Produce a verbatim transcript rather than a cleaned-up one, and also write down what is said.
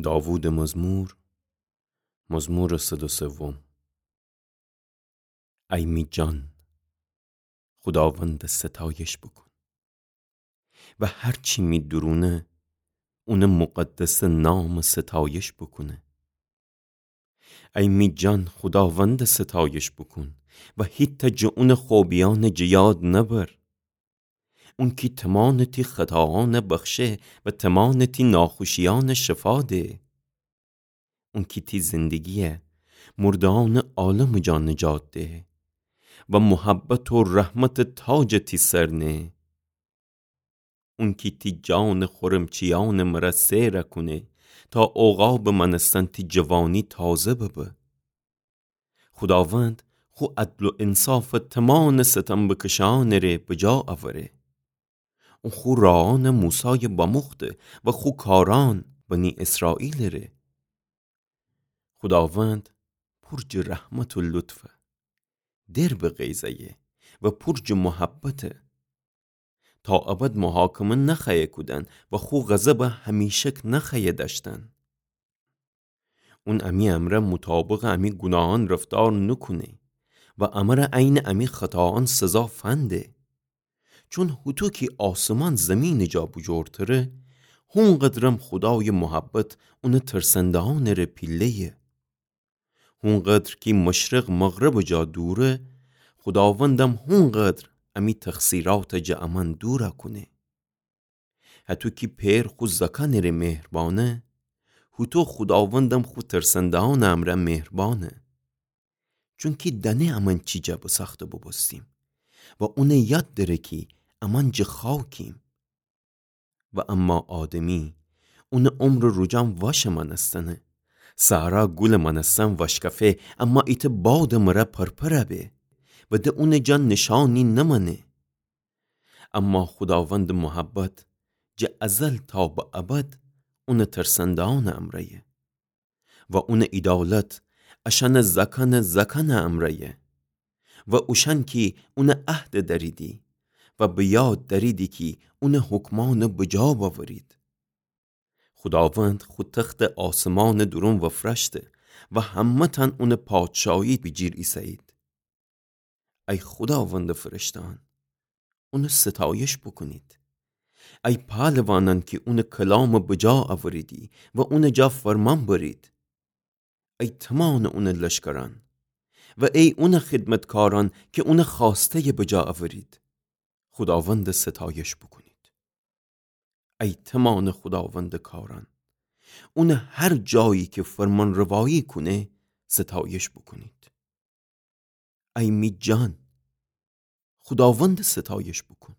داوودٚ مزمور، مزمورٚ صد و سوم. ای می جان، خوداوندَ ستایش بوکون و هر چی می دورونه اونٚ مقدسٚ نامَ ستایش بوکونه. ای می جان، خوداوندَ ستایش بوکون و هیتأ جٚه اونٚ خوبیأنَ جٚه یاد نبر. اون کی تمانٚ تی خطاأنَ بخشه و تمانٚ تی ناخوشیأنَ شفا ده. اون کی تی زندگیَ مردهأنٚ عالمٚ جا نجات ده و محبت و رحمتٚ تاجَ تی سر نه. اون کی تی جانٚ خورمچیأنَ مره سئر کونه تا عقابٚ مأنستن تی جوانی تازه ببه. خوداوند خو عدل و انصافَ تمانٚ ستم بکشهأنٚ ره بجا اوره. اون خو راهأنَ موسایَ بموخته و خو کارأن بنی اسرائیلٚ ره. خوداوند پور جٚه رحمت و لطفه، در به غیظ ایه و پور جٚه محبته. تا ابد محاکمه نخوأیه کودن و خو غضبَ همیشک نخوأیه دأشتن. اون امی امرأ مطابقٚ امی گوناهأن رفتار نوکونه و امره عینٚ امی خطاأن سزا فنده. چون هوطو کی آسمان زیمینٚ جا بوجور تره، هونقدرم خودایٚ محبت اونٚ ترسندهأنٚ ره پیله‌یه. هونقدر کی مشرق مغربٚ جا دوره، خوداوندم هونقدر امی تقصیرأتَ جٚه امأن دور کونه. هطو کی پئر خو زأکأنٚ ره مهربانه، هوطو خوداوندم خو ترسندهأنٚ امرأ مهربانه. چونکی دأنه امأن چی جا بسأخته بوبوستیم و اونَ یاد دأره کی امأن جٚه خاکیم. و اما آدمی، اونٚ عمرٚ روجأن واشٚ مأنستنه. صحرا گولٚ مأنستن واشکفه، اما ایتأ بادٚ مره پرپر به و د اونٚ جا نیشأنی نمأنه. اما خوداوندٚ محبت جٚه ازل تا به ابد اونٚ ترسندهأنٚ امرأیه و اونٚ عیدالت اشأنٚ زأکأنٚ زأکأنٚ امرأیه و اوشأن کی اونٚ عهدٚ دأریدی و به یاد دأریدی کی اونٚ حکمأنٚ بجا بأورید. خوداوند خو تختٚ آسمانٚ دورون وفرأشته و همه‌تأن اونٚ پادشاهی بیجیر ایسه‌یید. ای خوداوندٚ فرشته‌أن، اونٚ ستایش بوکونید. ای پهلوانأن کی اونٚ کلامٚ بجا اوریدی و اونٚ جا فرمان برید. ای تومانٚ اونٚ لشکرأن و ای اونٚ خدمتکارأن کی اونٚ خوأسته‌یٚ بجا اورید، خوداوندٚ ستایش بوکونید. ای تومانٚ خوداوندٚ کارأن، اونٚ هر جایی کی فرمانروایی کونه، ستایش بوکونید. ای می جان، خوداوندٚ ستایش بوکون.